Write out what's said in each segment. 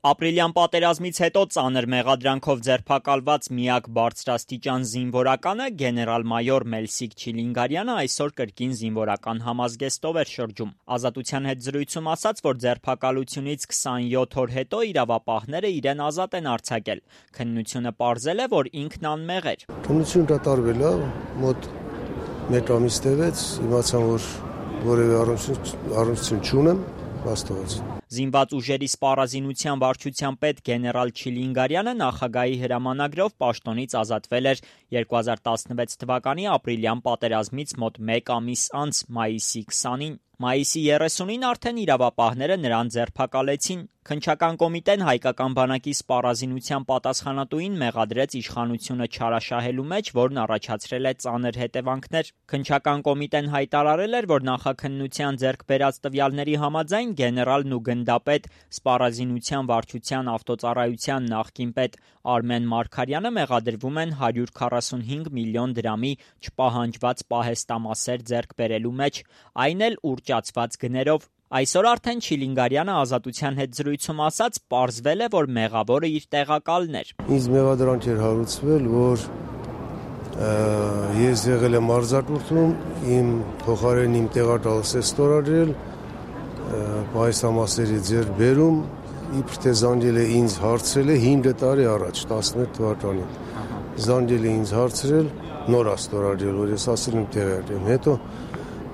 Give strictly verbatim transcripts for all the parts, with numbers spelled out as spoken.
Ապրիլյան պատերազմից հետո ծանր մեղադրանքով ձերբակալված միակ բարձրաստիճան զինվորականը գեներալ-մայոր Մելսիկ Չիլինգարյանը այսօր կրկին զինվորական համազգեստով էր շրջում։ Ազատության հետ զրույցում ասաց, որ ձերբակալությունից քսանյոթ օր հետո իրավապահները իրեն ազատ են արձակել։ Քննությունը պարզել է, որ ինքն անմեղ էր։ Քննությունը կատարվել է, մոտ մեկ ամիս տևեց, իմացան, որ որևէ առնչություն չունեմ, բաստողաց։ Զինված ուժերի սպառազինության վարչության պետ գեներալ Չիլինգարյանը նախագահի հրամանագրով պաշտոնից ազատվել էր երկու հազար տասնվեց թվականի ապրիլյան պատերազմից մոտ մեկ ամիս անց մայիսի քսանին։ Մայիսի երեսունին արդեն իրավապահները նրան ձերբակալեցին։ Քննչական կոմիտեն հայկական բանակի սպառազինության պատասխանատուին մեղադրեց իշխանությունը չարաշահելու մեջ, որն առաջացրել է ծանր հետևանքներ։ Քննչական կոմիտեն հայտարարել էր, որ նախաքննության ձեռք բերած տվյալների համաձայն գեներալն ու գնդապետ սպառազինության վարչության ավտոծառայության նախկին պետ Արմեն Մարգարյանը մեղադրվում են հարյուր քառասունհինգ միլիոն դրամի չպահանջված պահեստամասեր ձեռք բերելու մեջ, այն էլ ուռճացված գներով։ Այսօր արդեն Չիլինգարյանը ազատության հետ զրույցում ասաց, պարզվել է, որ մեղավորը իր տեղակալն էր։ Ինձ մեղադրանք էր հարուցվել, որ ես եղել եմ արձակուրդում, իմ փոխարեն իմ տեղակալս է ստորագրել, պահեստամասերի ձեռք բերում, իբր թե զանգել է ինձ հարցրել է հինգ տարի առաջ, տասնմեկ թվականին։ Զանգել է ինձ հարցրել, նոր աստորագրել, որ ես ասել եմ տեղյակ եմ, հետո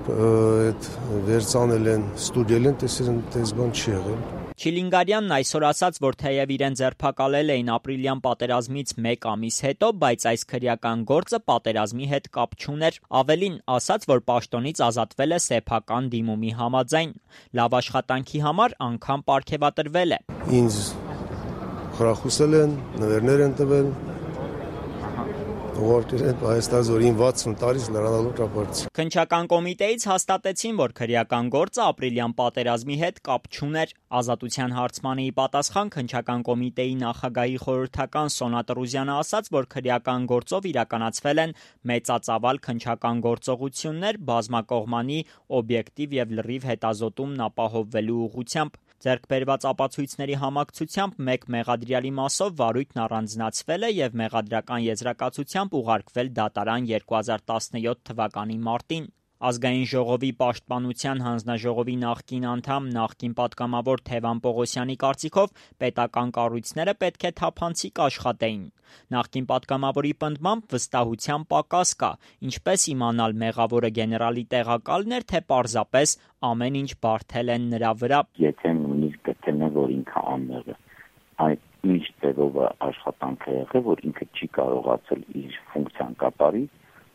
այդ վերցանել են, ստուդիել են, տեսել են, տես բան չի եղել։ Չիլինգարյանն այսօր ասաց, որ թեև իրեն ձերբակալել էին ապրիլյան պատերազմից մեկ ամիս հետո, բայց այս քրեական գործը պատերազմի հետ կապ չուներ։ Ավելին, ասաց, որ պաշտոնից ազատվել է սեփական դիմումի համաձայն։ Լավ աշխատանքի համար անգամ պարգևատրվել է։ Ինձ խրախուսել են, նվերներ են տվել, ուղարկել են Հայաստանին վաթսուն տարից լրանալու ճապարից։ Քննչական կոմիտեից հաստատեցին, որ քրեական գործը ապրիլյան պատերազմի հետ կապ չուներ։ Ազատության հարցմանի պատասխան քննչական կոմիտեի նախագահի խորհրդական Սոնա Տրուզյանը ասաց, որ քրեական գործով իրականացվել են մեծածավալ քննչական գործողություններ բազմակողմանի օբյեկտիվ եւ լրիվ հետազոտումն ապահովելու ուղղությամբ։ Ձեռք բերված ապացույցների համակցությամբ մեկ մեղադրյալի մասով վարույթն առանձնացվել է եւ մեղադրական եզրակացությամբ ուղարկվել դատարան երկու հազար տասնյոթ թվականի մարտին։ Ազգային ժողովի պաշտպանության հանձնաժողովի նախկին անդամ, նախկին պատգամավոր Թևան Պողոսյանի կարծիքով պետական կառույցները պետք է թափանցիկ աշխատեին։ Նախկին պատգամավորի պնդմամբ վստահության պակաս կա, ինչպես իմանալ մեղավորը գեներալի տեղակալն էր, թե պարզապես ամեն ինչ բարդել են նրա վրա։ Եթե նույնիսկ գտնեն, որ ինքը անմեղ է, այդ ինչ ձևով աշխատանք է եղել, որ ինքը չի կարողացել իր ֆունկցիան կատարի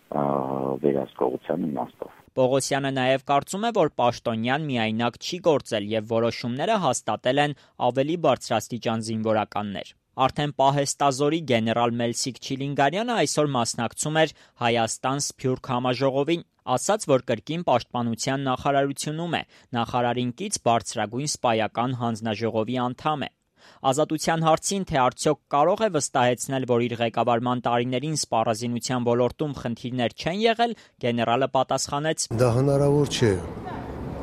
վերահսկողության իմաստով։ Պողոսյանը նաև կարծում է, որ Պաշտոնյան միայնակ չի գործել եւ որոշումները հաստատել են ավելի բարձրաստիճան զինվորականներ։ Արդեն պահեստազորի գեներալ Մելսիկ Չիլինգարյանը այսօր մասնակցում էր Հայաստան-Սփյուռք համաժողովին, ասաց, որ կրկին պաշտպանության նախարարությունում է, նախարարին կից բարձրագույն սպայական հանձնաժողովի անդամ է։ Ազատության հարցին, թե արդյոք կարող է վստահեցնել, որ իր ղեկավարման տարիներին սպառազինության ոլորտում խնդիրներ չեն եղել, գեներալը պատասխանեց. Դա հնարավոր չէ։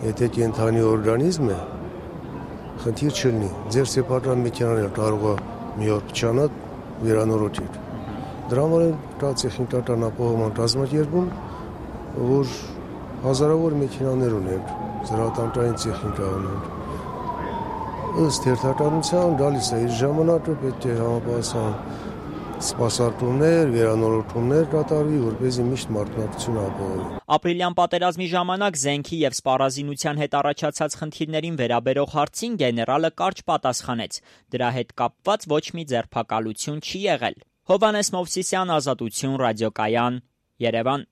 Եթե կենթանի օրգանիզմ է, խնդիր չլինի։ Ձեր սեփական մեքենան կարող է մի օր փչանալ, վերանորոգել։ Դրա համար կա տեխնիկական ապահովման կազմակերպում, որ հազարավոր մեքենաներ ունեն, զրահատանտրային տեխնիկա ունեն։ Ըստ հերթականության գալիս է իր ժամանակը, պետք է համապատասխան սպասարկումներ, վերանորոգումներ կատարվի, որպեսզի միշտ մարտունակությունը ապահովի։ Ապրիլյան պատերազմի ժամանակ զենքի եւ սպառազինության հետ առաջացած խնդիրներին վերաբերող հարցին գեներալը կարճ պատասխանեց. դրա հետ կապված ոչ մի ձերբակալություն չի եղել։ Հովհաննես Մովսիսյան, Ազատություն, ռադիոկայան, Երևան։